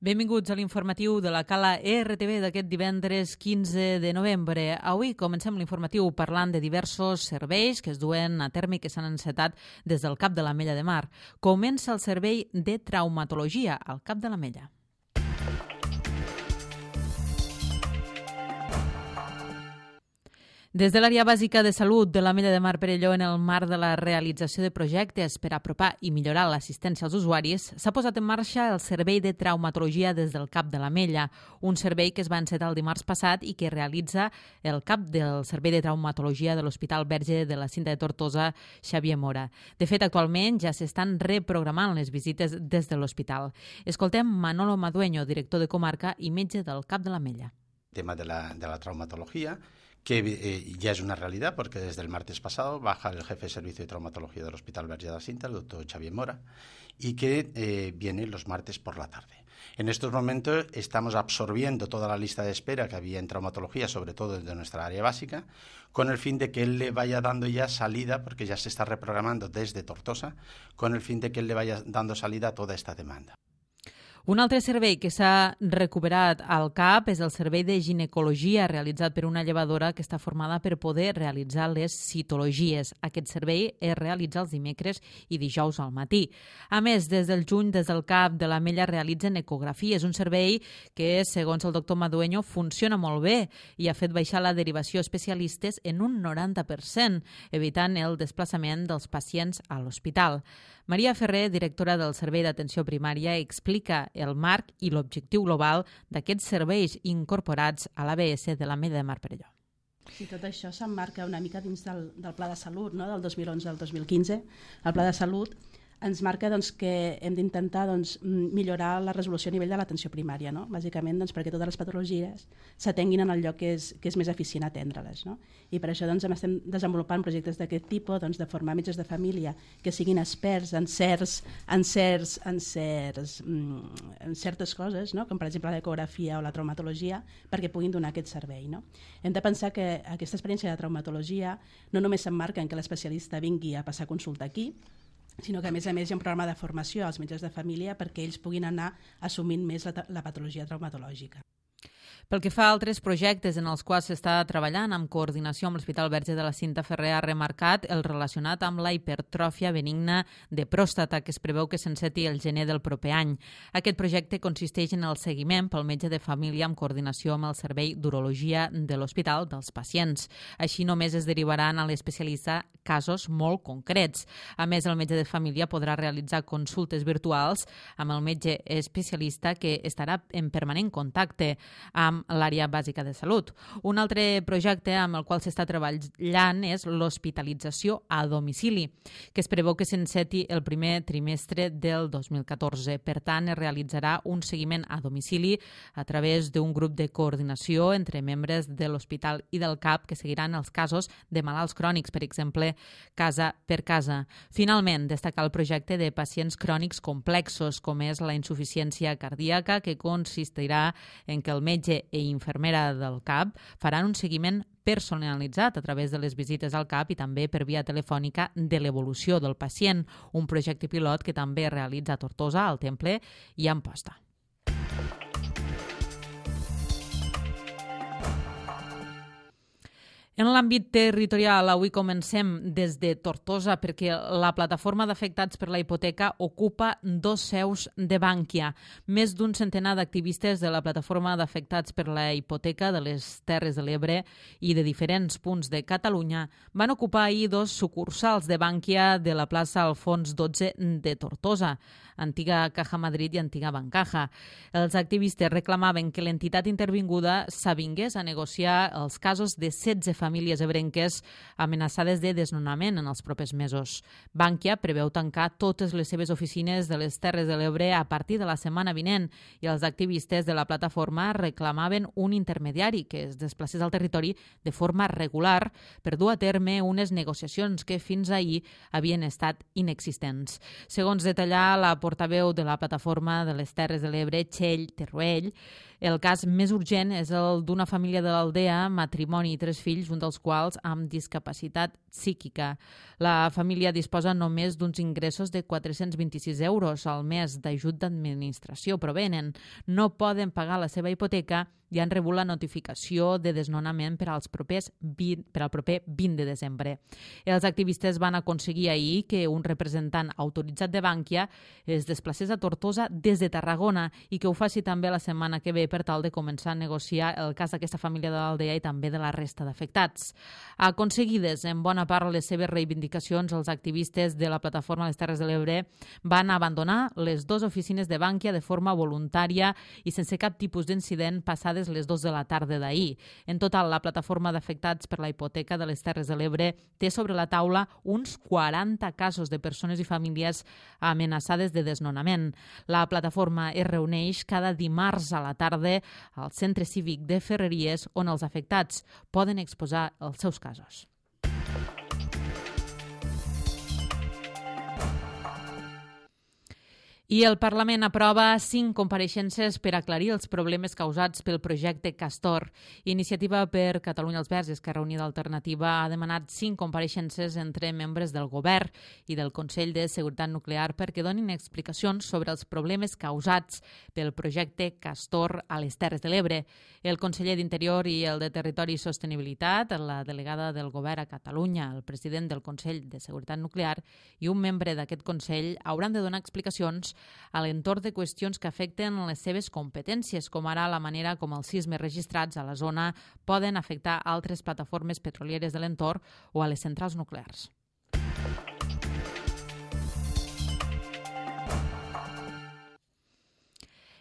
Benvinguts a l'informatiu de la Cala RTV d'aquest divendres 15 de novembre. Avui comencem l'informatiu parlant de diversos serveis que es duen a terme i que s'han encetat des del Cap de l'Ametlla de Mar. Comença el servei de traumatologia al Cap de l'Ametlla. Des de l'àrea bàsica de salut de l'Ametlla de Mar Perelló, en el marc de la realització de projectes per apropar i millorar l'assistència als usuaris, s'ha posat en marxa el servei de traumatologia des del Cap de l'Ametlla, un servei que es va encetar el dimarts passat i que realitza el cap del servei de traumatologia de l'Hospital Verge de la Cinta de Tortosa, Xavier Mora. De fet, actualment ja s'estan reprogramant les visites des de l'hospital. Escoltem Manolo Madueño, director de comarca i metge del Cap de l'Ametlla. El tema de la traumatología, que ya es una realidad porque desde el martes pasado baja el jefe de servicio de traumatología del Hospital Verge de la Cinta, el doctor Xavier Mora, y que viene los martes por la tarde. En estos momentos estamos absorbiendo toda la lista de espera que había en traumatología, sobre todo desde nuestra área básica, con el fin de que él le vaya dando ya salida, porque ya se está reprogramando desde Tortosa, con el fin de que él le vaya dando salida a toda esta demanda. Un altre servei que s'ha recuperat al CAP és el servei de ginecologia realitzat per una llevadora que està formada per poder realitzar les citologies. Aquest servei es realitza els dimecres i dijous al matí. A més, des del juny, des del CAP de l'Ametlla realitzen ecografies, un servei que, segons el doctor Madueño, funciona molt bé i ha fet baixar la derivació a especialistes en un 90%, evitant el desplaçament dels pacients a l'hospital. Maria Ferrer, directora del Servei d'Atenció Primària, explica el marc i l'objectiu global d'aquests serveis incorporats a l'ABS de l'Ametlla de Mar Perelló. Sí, tot això s'emmarca una mica dins del Pla de Salut, no? Del 2011 al 2015. El Pla de Salut ens marca que hem d'intentar millorar la resolució a nivell de l'atenció primària, no? Bàsicament perquè totes les patologies s'atenguin en el lloc que és més eficient atendre-les. No? I per això estem desenvolupant projectes d'aquest tipus, de formar metges de família que siguin experts en certes coses, no? Com per exemple l'ecografia o la traumatologia, perquè puguin donar aquest servei. No? Hem de pensar que aquesta experiència de traumatologia no només s'emmarca en que l'especialista vingui a passar consulta aquí, sinó que a més hi ha un programa de formació als metges de família perquè ells puguin anar assumint més la patologia traumatològica. Pel que fa a altres projectes en els quals s'està treballant amb coordinació amb l'Hospital Verge de la Cinta, Ferrer ha remarcat el relacionat amb la hipertròfia benigna de pròstata que es preveu que s'enceti el gener del proper any. Aquest projecte consisteix en el seguiment pel metge de família amb coordinació amb el servei d'urologia de l'hospital dels pacients. Així només es derivaran a l'especialista casos molt concrets. A més, el metge de família podrà realitzar consultes virtuals amb el metge especialista que estarà en permanent contacte amb l'àrea bàsica de salut. Un altre projecte amb el qual s'està treballant és l'hospitalització a domicili, que es preveu que s'enceti el primer trimestre del 2014. Per tant, es realitzarà un seguiment a domicili a través d'un grup de coordinació entre membres de l'hospital i del CAP que seguiran els casos de malalts crònics, per exemple, casa per casa. Finalment, destacar el projecte de pacients crònics complexos, com és la insuficiència cardíaca, que consistirà en que el metge i infermera del CAP faran un seguiment personalitzat a través de les visites al CAP i també per via telefònica de l'evolució del pacient, un projecte pilot que també es realitza a Tortosa, al Temple i a Amposta. En l'àmbit territorial, avui comencem des de Tortosa perquè la plataforma d'afectats per la hipoteca ocupa 2 seus de Bankia. Més d'un centenar d'activistes de la plataforma d'afectats per la hipoteca de les Terres de l'Ebre i de diferents punts de Catalunya van ocupar ahir 2 sucursals de Bankia de la plaça Alfons XII de Tortosa, antiga Caja Madrid i antiga Bancaja. Els activistes reclamaven que l'entitat intervinguda s'avingués a negociar els casos de 16 famílies ebrenques amenaçades de desnonament en els propers mesos. Bankia preveu tancar totes les seves oficines de les Terres de l'Ebre a partir de la setmana vinent i els activistes de la plataforma reclamaven un intermediari que es desplacés al territori de forma regular per dur a terme unes negociacions que fins ahir havien estat inexistents. Segons detallar la portaveu de la plataforma de les Terres de l'Ebre, Txell Terruell, el cas més urgent és el d'una família de l'Aldea, matrimoni i 3 fills, un un dels quals amb discapacitat psíquica. La família disposa només d'uns ingressos de 426 euros al mes d'ajut d'administració, però venen, no poden pagar la seva hipoteca i han rebut la notificació de desnonament per al proper 20 de desembre. Els activistes van aconseguir ahir que un representant autoritzat de Bankia es desplacés a Tortosa des de Tarragona i que ho faci també la setmana que ve per tal de començar a negociar el cas d'aquesta família de l'Aldea i també de la resta d'afectats. Aconseguides en bona part les seves reivindicacions, els activistes de la plataforma Les Terres de l'Ebre van abandonar les dues oficines de Bankia de forma voluntària i sense cap tipus d'incident passades les 2 de la tarda d'ahir. En total, la plataforma d'afectats per la hipoteca de les Terres de l'Ebre té sobre la taula uns 40 casos de persones i famílies amenaçades de desnonament. La plataforma es reuneix cada dimarts a la tarda al Centre Cívic de Ferreries, on els afectats poden exposar els seus casos. I el Parlament aprova 5 compareixences per aclarir els problemes causats pel projecte Castor. Iniciativa per Catalunya els Verds i Esquerra Unida Alternativa ha demanat 5 compareixences entre membres del Govern i del Consell de Seguretat Nuclear perquè donin explicacions sobre els problemes causats pel projecte Castor a les Terres de l'Ebre. El conseller d'Interior i el de Territori i Sostenibilitat, la delegada del Govern a Catalunya, el president del Consell de Seguretat Nuclear i un membre d'aquest Consell hauran de donar explicacions a l'entorn de qüestions que afecten les seves competències, com ara la manera com els sismes registrats a la zona poden afectar altres plataformes petrolieres de l'entorn o a les centrals nuclears.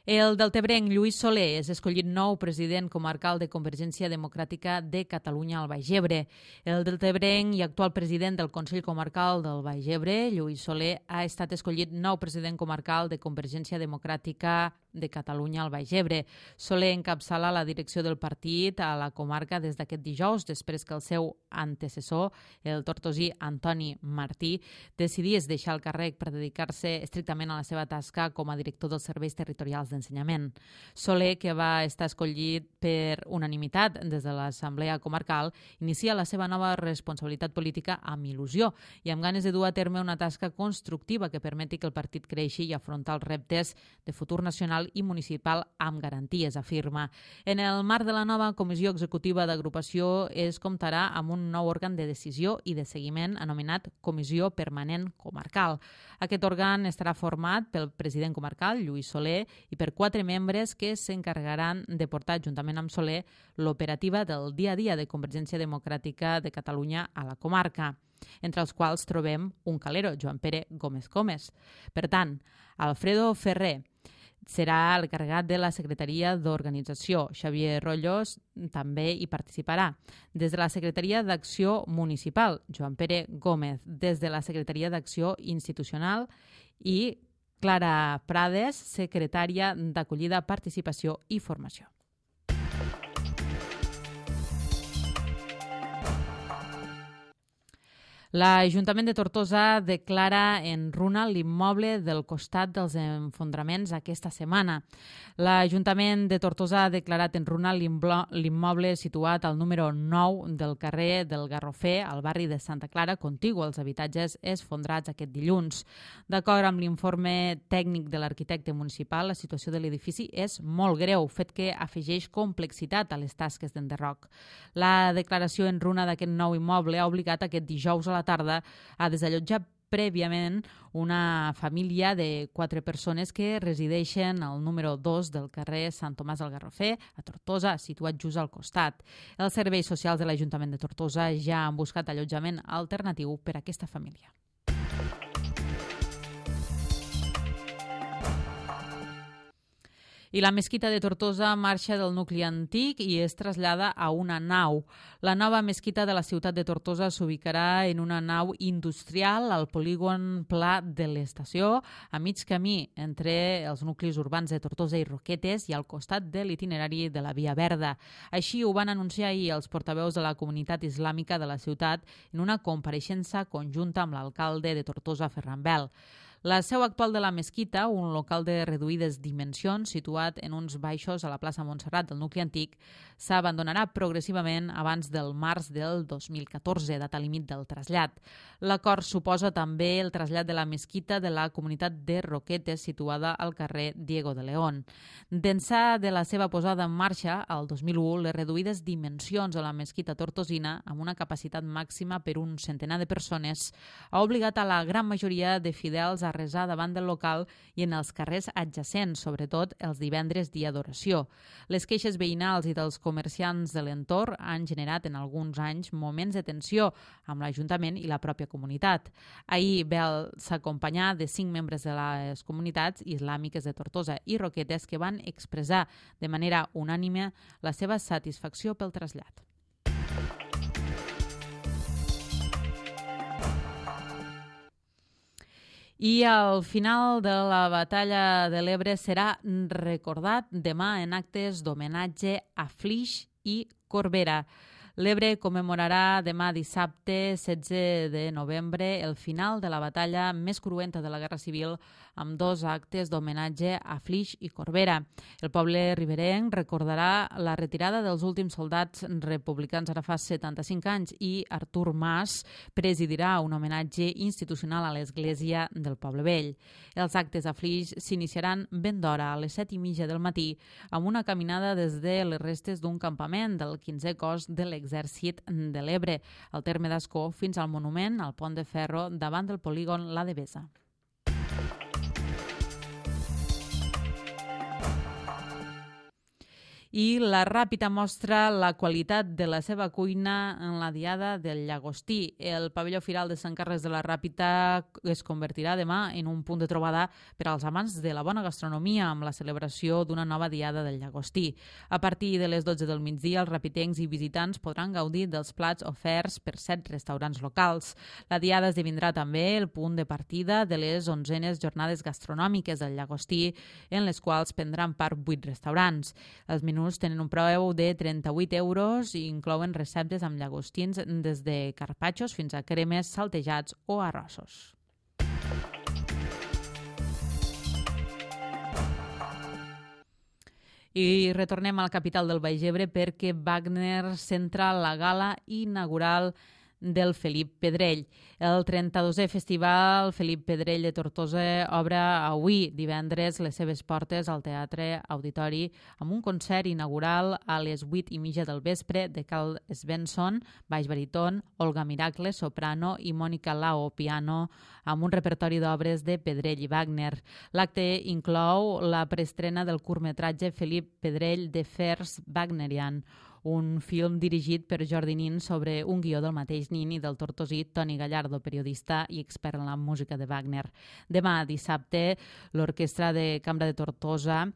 El deltebrenc Lluís Soler és escollit nou president comarcal de Convergència Democràtica de Catalunya al Baix Ebre. El deltebrenc i actual president del Consell Comarcal del Baix Ebre, Lluís Soler, ha estat escollit nou president comarcal de Convergència Democràtica de Catalunya al Baix Ebre. Soler encapçala la direcció del partit a la comarca des d'aquest dijous, després que el seu antecessor, el tortosí Antoni Martí, decidís deixar el càrrec per dedicar-se estrictament a la seva tasca com a director dels serveis territorials d'ensenyament. Soler, que va estar escollit per unanimitat des de l'Assemblea Comarcal, inicia la seva nova responsabilitat política amb il·lusió i amb ganes de dur a terme una tasca constructiva que permeti que el partit creixi i afrontar els reptes de futur nacional i municipal amb garanties, afirma. En el marc de la nova Comissió Executiva d'Agrupació es comptarà amb un nou òrgan de decisió i de seguiment anomenat Comissió Permanent Comarcal. Aquest òrgan estarà format pel president comarcal, Lluís Soler, i per 4 membres que s'encarregaran de portar, juntament amb Soler, l'operativa del dia a dia de Convergència Democràtica de Catalunya a la comarca, entre els quals trobem un calero, Joan Pere Gómez Gómez. Per tant, Alfredo Ferrer serà l'encarregat de la Secretaria d'Organització. Xavier Rotllos també hi participarà. Des de la Secretaria d'Acció Municipal, Joan Pere Gómez. Des de la Secretaria d'Acció Institucional i Clara Prades, secretària d'Acollida, Participació i Formació. L'Ajuntament de Tortosa declara en runa l'immoble del costat dels enfondraments aquesta setmana. L'Ajuntament de Tortosa ha declarat en runa l'immoble situat al número 9 del carrer del Garrofer, al barri de Santa Clara, contigu als habitatges esfondrats aquest dilluns. D'acord amb l'informe tècnic de l'arquitecte municipal, la situació de l'edifici és molt greu, fet que afegeix complexitat a les tasques d'enderroc. La declaració en runa d'aquest nou immoble ha obligat aquest dijous a la tarda a desallotjar prèviament una família de 4 persones que resideixen al número 2 del carrer Sant Tomàs del Garrofer, a Tortosa, situat just al costat. Els serveis socials de l'Ajuntament de Tortosa ja han buscat allotjament alternatiu per a aquesta família. I la mesquita de Tortosa marxa del nucli antic i es trasllada a una nau. La nova mesquita de la ciutat de Tortosa s'ubicarà en una nau industrial al polígon Pla de l'Estació, a mig camí entre els nuclis urbans de Tortosa i Roquetes i al costat de l'itinerari de la Via Verda. Així ho van anunciar ahir els portaveus de la comunitat islàmica de la ciutat en una compareixença conjunta amb l'alcalde de Tortosa, Ferran Bel. La seu actual de la mesquita, un local de reduïdes dimensions situat en uns baixos a la plaça Montserrat del nucli antic, s'abandonarà progressivament abans del març del 2014, data límit del trasllat. L'acord suposa també el trasllat de la mesquita de la comunitat de Roquetes, situada al carrer Diego de León. D'ençà de la seva posada en marxa, al 2001, les reduïdes dimensions de la mesquita tortosina, amb una capacitat màxima per un centenar de persones, ha obligat a la gran majoria de fidels a resar davant del local i en els carrers adjacents, sobretot els divendres dia d'oració. Les queixes veïnals i dels comerciants de l'entorn han generat en alguns anys moments de tensió amb l'Ajuntament i la pròpia comunitat. Ahir Bel s'acompanyà de 5 membres de les comunitats islàmiques de Tortosa i Roquetes que van expressar de manera unànime la seva satisfacció pel trasllat. I al final de la batalla de l'Ebre serà recordat demà en actes d'homenatge a Flix i Corbera. L'Ebre commemorarà demà dissabte 16 de novembre el final de la batalla més cruenta de la Guerra Civil amb 2 actes d'homenatge a Flix i Corbera. El poble riberenc recordarà la retirada dels últims soldats republicans ara fa 75 anys i Artur Mas presidirà un homenatge institucional a l'església del Poble Vell. Els actes a Flix s'iniciaran ben d'hora, a les 7:30 del matí, amb una caminada des de les restes d'un campament del 15è cos de l'Exèrcit de l'Ebre, al terme d'Ascó, fins al monument al pont de ferro davant del polígon La Devesa. I la Ràpita mostra la qualitat de la seva cuina en la Diada del Llagostí. El pavelló firal de Sant Carles de la Ràpita es convertirà demà en un punt de trobada per als amants de la bona gastronomia amb la celebració d'una nova Diada del Llagostí. A partir de les 12 del migdia, els rapitencs i visitants podran gaudir dels plats oferts per 7 restaurants locals. La Diada esdevindrà també el punt de partida de les 11enes jornades gastronòmiques del Llagostí, en les quals prendran part 8 restaurants. Els menús tenen un preu de 38 euros i inclouen receptes amb llagostins des de carpaccios fins a cremes, saltejats o arrossos. I retornem al capital del Baix Ebre perquè Wagner centra la gala inaugural del Felip Pedrell. El 32è Festival Felip Pedrell de Tortosa obre avui, divendres, les seves portes al Teatre Auditori amb un concert inaugural a les 8:30 del vespre de Carl Svensson, baix baríton, Olga Miracle, soprano i Mònica Lao, piano, amb un repertori d'obres de Pedrell i Wagner. L'acte inclou la preestrena del curtmetratge Felip Pedrell de Vers Wagnerian, un film dirigit per Jordi Nin sobre un guió del mateix Nin i del tortosí Toni Gallardo, periodista i expert en la música de Wagner. Demà, dissabte, l'Orquestra de Cambra de Tortosa,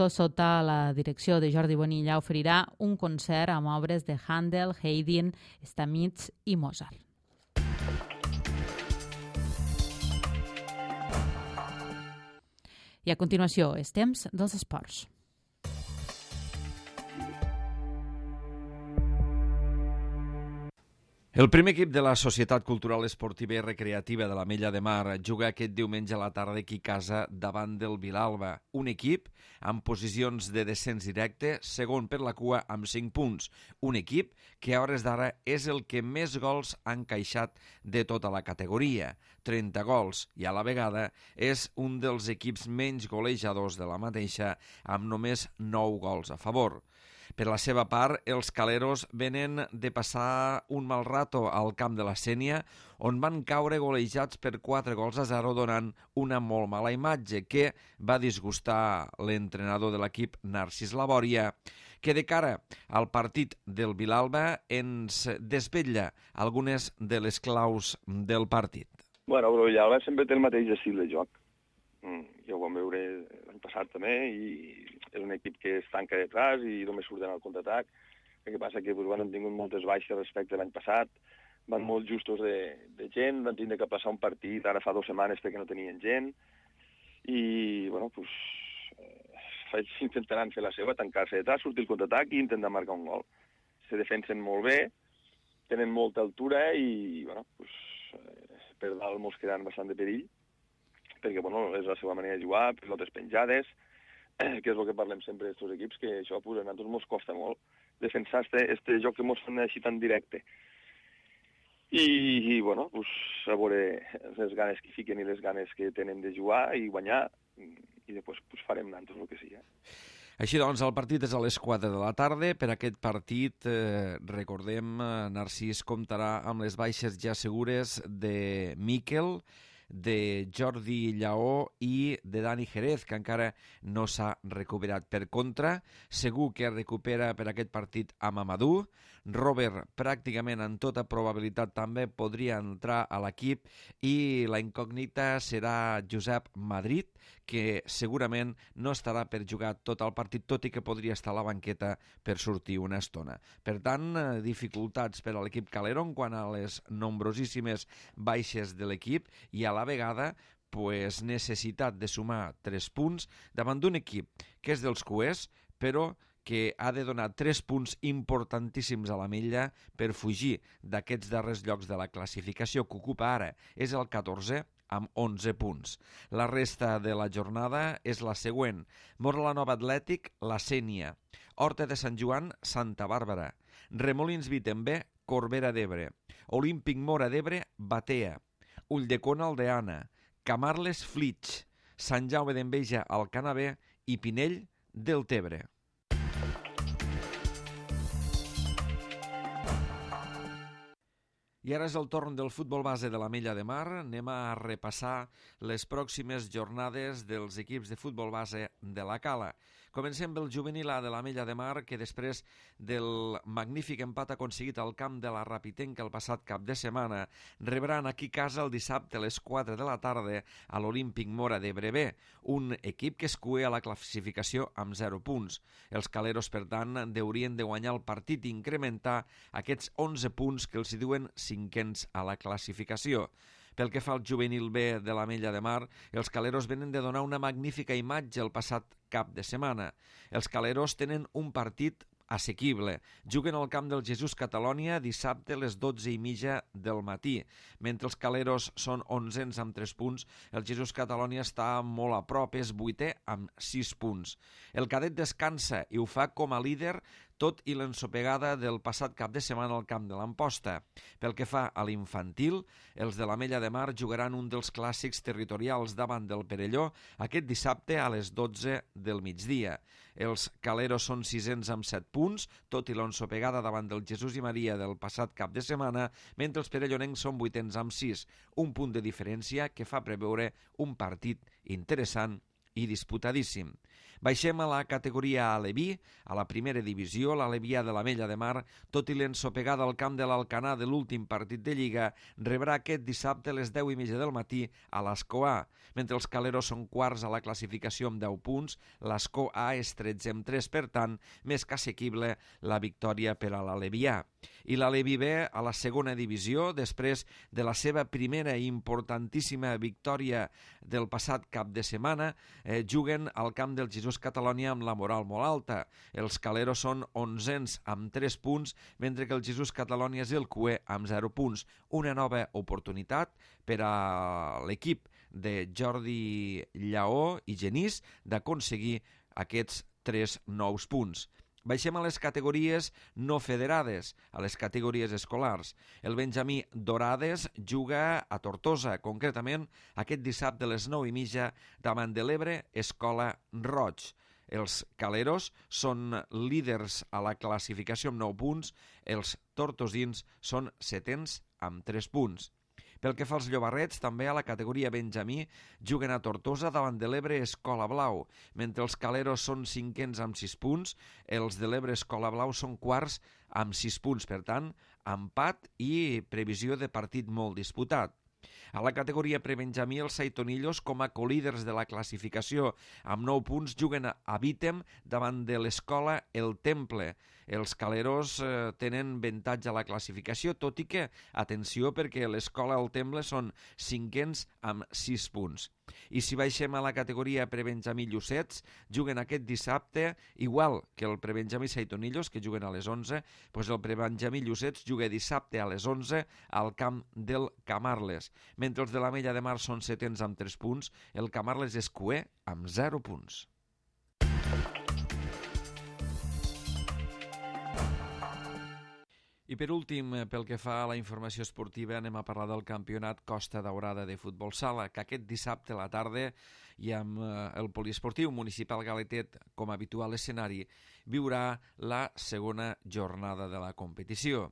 sota la direcció de Jordi Bonilla, oferirà un concert amb obres de Handel, Haydn, Stamitz i Mozart. I a continuació, és temps dels esports. El primer equip de la Societat Cultural Esportiva i Recreativa de l'Ametlla de Mar juga aquest diumenge a la tarda aquí a casa davant del Vilalba. Un equip amb posicions de descens directe, segon per la cua amb 5 punts. Un equip que a hores d'ara és el que més gols ha encaixat de tota la categoria, 30 gols, i a la vegada és un dels equips menys golejadors de la mateixa amb només 9 gols a favor. Per la seva part, els caleros venen de passar un mal rato al camp de la Sénia, on van caure golejats per 4-0, donant una molt mala imatge que va disgustar l'entrenador de l'equip, Narcís Labòria, que de cara al partit del Vilalba ens desvetlla algunes de les claus del partit. Bueno, el Vilalba sempre té el mateix estil de joc. Ja ho vam veure l'any passat també, i és un equip que es tanca detrás i només surten al contraatac. El que passa que han tingut moltes baixes respecte a l'any passat, van molt justos de gent, van tindre que passar un partit ara fa 2 setmanes perquè no tenien gent, i bueno, intentaran fer la seva, tancar-se detrás, sortir al contraatac i intentar marcar un gol. Se defensen molt bé, tenen molta altura i bueno, per dalt mos quedaran bastant de perill. perquè bueno, és la seva manera de jugar, pilotes penjades, que és el que parlem sempre d'aquests equips, que això pues, a nosaltres ens costa molt defensar este joc que ens fan així tan directe. I bueno, pues, a veure les ganes que fiquen i les ganes que tenen de jugar i guanyar, i després pues, farem nosaltres el que sigui. Així doncs, el partit és a les 4 de la tarda. Per aquest partit, recordem, Narcís comptarà amb les baixes ja segures de Miquel, de Jordi Lleó i de Dani Jerez, que encara no s'ha recuperat. Per contra, segur que recupera per aquest partit a Mamadou. Robert, pràcticament en tota probabilitat, també podria entrar a l'equip, i la incògnita serà Josep Madrid, que segurament no estarà per jugar tot el partit, tot i que podria estar a la banqueta per sortir una estona. Per tant, dificultats per a l'equip Calero quant a les nombrosíssimes baixes de l'equip, i a la vegada pues, necessitat de sumar 3 punts davant d'un equip que és dels cuers, però que ha de donar 3 punts importantíssims a l'Ametlla per fugir d'aquests darrers llocs de la classificació, que ocupa ara és el 14 amb 11 punts. La resta de la jornada és la següent: Móra la Nova Atlètic, la Sénia; Horta de Sant Joan, Santa Bàrbara; Remolins Vitembé, Corbera d'Ebre; Olímpic Móra d'Ebre, Batea; Ulldecona, Aldeana; Camarles, Flix; Sant Jaume d'Enveja, Alcanavè i Pinell, Deltebre. I ara és el torn del futbol base de l'Ametlla de Mar. Anem a repassar les pròximes jornades dels equips de futbol base de la Cala. Comencem pel juvenil A de l'Ametlla de Mar, que després del magnífic empat aconseguit al camp de la Rapitenca el passat cap de setmana, rebran aquí a casa el dissabte a les 4 de la tarda a l'Olímpic Móra d'Ebre B, un equip que es cua a la classificació amb 0 punts. Els caleros, per tant, haurien de guanyar el partit i incrementar aquests 11 punts que els hi diuen cinquens a la classificació. Pel que fa al juvenil B de l'Ametlla de Mar, els caleros venen de donar una magnífica imatge el passat cap de setmana. Els caleros tenen un partit assequible. Juguen al camp del Jesús Catalònia dissabte a les 12:30 del matí. Mentre els caleros són 11ens amb 3 punts, el Jesús Catalònia està molt a prop, és 8è amb 6 punts. El cadet descansa i ho fa com a líder, tot i l'ensopegada del passat cap de setmana al camp de l'Amposta. Pel que fa a l'infantil, els de l'Ametlla de Mar jugaran un dels clàssics territorials davant del Perelló aquest dissabte a les 12 del migdia. Els caleros són 6ens amb 7 punts, tot i l'ensopegada davant del Jesús i Maria del passat cap de setmana, mentre els perellonencs són 8ens amb 6, un punt de diferència que fa preveure un partit interessant i disputadíssim. Baixem a la categoria Aleví, a la primera divisió. L'Alevià de l'Ametlla de Mar, tot i l'ensopegada al camp de l'Alcanar de l'últim partit de Lliga, rebrà aquest dissabte a les 10:30 del matí a l'Escó A. Mentre els caleros són quarts a la classificació amb 10 punts, l'Escó A és 13 amb 3, per tant, més que assequible la victòria per a l'Alevià. I l'Aleví B, a la segona divisió, després de la seva primera i importantíssima victòria del passat cap de setmana, juguen al camp del Jesús Catalònia amb la moral molt alta. Els caleros són 11ens amb 3 punts, mentre que el Jesús Catalònia és el cuer amb 0 punts. Una nova oportunitat per a l'equip de Jordi Lleó i Genís d'aconseguir aquests 3 nous punts. Baixem a les categories no federades, a les categories escolars. El Benjamí Dorades juga a Tortosa, concretament aquest dissabte a les 9:30 davant de l'Ebre Escola Roig. Els caleros són líders a la classificació amb 9 punts, els tortosins són 7ens amb 3 punts. Pel que fa als llobarrets, també a la categoria Benjamí juguen a Tortosa davant de l'Ebre Escola Blau. Mentre els caleros són 5ens amb 6 punts, els de l'Ebre Escola Blau són quarts amb 6 punts. Per tant, empat i previsió de partit molt disputat. A la categoria prebenjamí, els saitonillos, com a colíders de la classificació amb 9 punts, juguen a Vítem davant de l'escola El Temple. Els caleros tenen avantatge a la classificació, tot i que, atenció, perquè l'escola El Temple són 5ens amb 6 punts. I si baixem a la categoria prebenjamí Llucets, juguen aquest dissabte, igual que el prebenjamí Saitonillos, que juguen a les 11, doncs el prebenjamí Llucets juga dissabte a les 11 al camp del Camarles. mentre els de l'Ametlla de Mar són setens amb 3 punts, el Camarles és cuer amb 0 punts. I per últim, pel que fa a la informació esportiva, anem a parlar del campionat Costa Daurada de futbol sala, que aquest dissabte a la tarda i amb el poliesportiu municipal Galetet com a habitual escenari, viurà la segona jornada de la competició.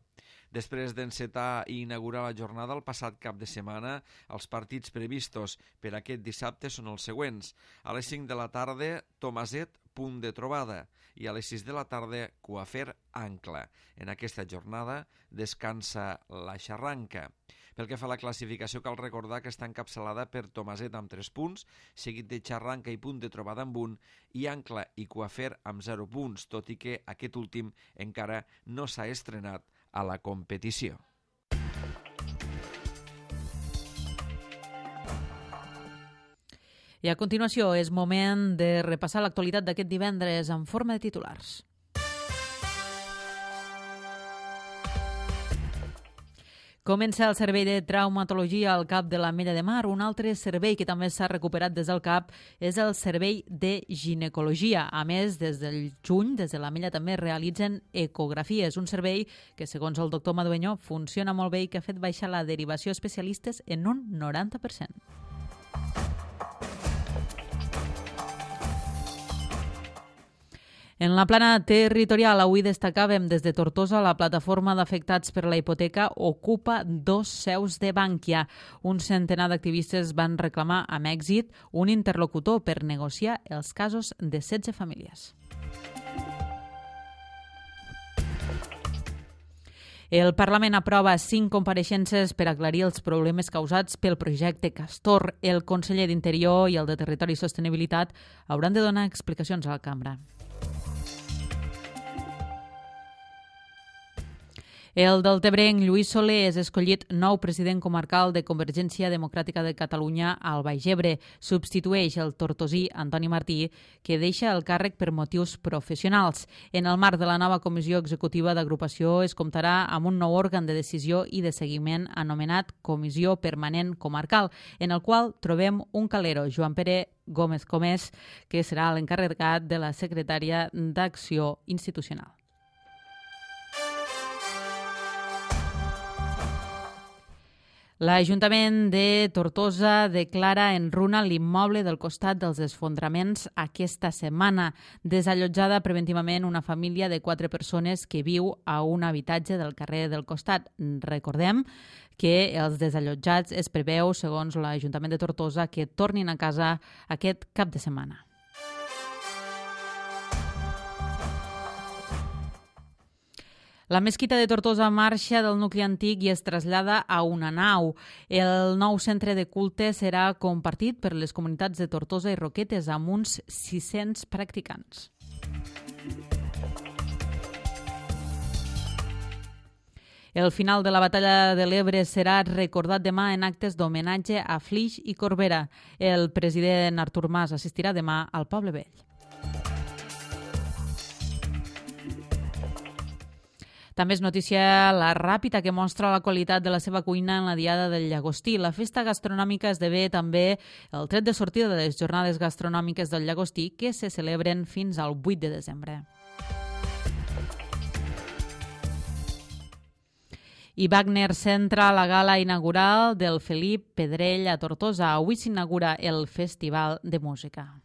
Després d'encetar i inaugurar la jornada el passat cap de setmana, els partits previstos per aquest dissabte són els següents. A les 5 de la tarda, Tomaset, punt de trobada, i a les 6 de la tarda, Coafer Ancla. En aquesta jornada descansa la Xarranca. Pel que fa a la classificació, cal recordar que està encapçalada per Tomaset amb 3 punts, seguit de Xarranca i punt de trobada amb 1, i Ancla i Coafer amb 0 punts, tot i que aquest últim encara no s'ha estrenat a la competició. I a continuació és moment de repassar l'actualitat d'aquest divendres en forma de titulars. Comença el servei de traumatologia al CAP de l'Ametlla de Mar. Un altre servei que també s'ha recuperat des del CAP és el servei de ginecologia. A més, des del juny, des de l'Ametlla també realitzen ecografies. Un servei que, segons el doctor Madueño, funciona molt bé i que ha fet baixar la derivació a especialistes en un 90%. En la plana territorial, avui destacàvem des de Tortosa la plataforma d'afectats per la hipoteca ocupa 2 seus de Bankia. Un centenar d'activistes van reclamar amb èxit un interlocutor per negociar els casos de 16 famílies. El Parlament aprova 5 compareixences per aclarir els problemes causats pel projecte Castor. El conseller d'Interior i el de Territori i Sostenibilitat hauran de donar explicacions a la cambra. El deltebrenc Lluís Soler és escollit nou president comarcal de Convergència Democràtica de Catalunya al Baix Ebre. Substitueix el tortosí Antoni Martí, que deixa el càrrec per motius professionals. En el marc de la nova comissió executiva d'agrupació es comptarà amb un nou òrgan de decisió i de seguiment anomenat Comissió Permanent Comarcal, en el qual trobem un calero, Joan Pere Gómez Comés, que serà l'encarregat de la secretària d'Acció Institucional. L'Ajuntament de Tortosa declara en runa l'immoble del costat dels esfondraments aquesta setmana. Desallotjada preventivament una família de 4 persones que viu a un habitatge del carrer del costat. Recordem que els desallotjats es preveu, segons l'Ajuntament de Tortosa, que tornin a casa aquest cap de setmana. La mesquita de Tortosa marxa del nucli antic i es trasllada a una nau. El nou centre de culte serà compartit per les comunitats de Tortosa i Roquetes amb uns 600 practicants. El final de la batalla de l'Ebre serà recordat demà en actes d'homenatge a Flix i Corbera. El president Artur Mas assistirà demà al Poble Vell. També és notícia la Ràpita, que mostra la qualitat de la seva cuina en la Diada del Llagostí. La festa gastronòmica esdevé també el tret de sortida de les jornades gastronòmiques del Llagostí, que se celebren fins al 8 de desembre. I Wagner centra la gala inaugural del Felip Pedrell a Tortosa. Avui s'inaugura el Festival de Música.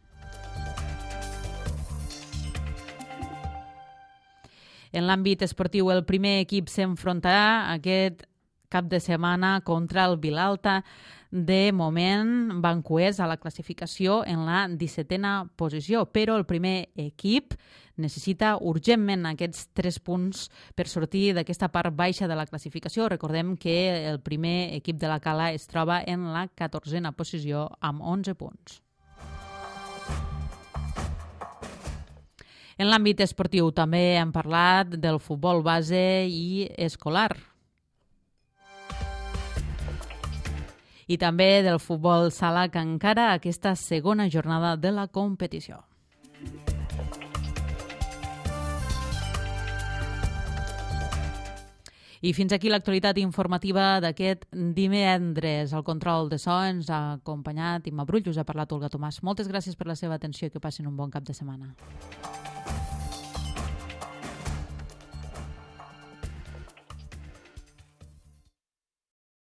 En l'àmbit esportiu, el primer equip s'enfrontarà aquest cap de setmana contra el Vilalta. De moment, van coers a la classificació en la 17a posició, però el primer equip necessita urgentment aquests 3 punts per sortir d'aquesta part baixa de la classificació. Recordem que el primer equip de la Cala es troba en la 14a posició amb 11 punts. En l'àmbit esportiu també hem parlat del futbol base i escolar. I també del futbol sala, que encara aquesta segona jornada de la competició. I fins aquí l'actualitat informativa d'aquest divendres. El control de so ens ha acompanyat Imma Brull, us ha parlat Olga Tomàs. Moltes gràcies per la seva atenció i que passin un bon cap de setmana.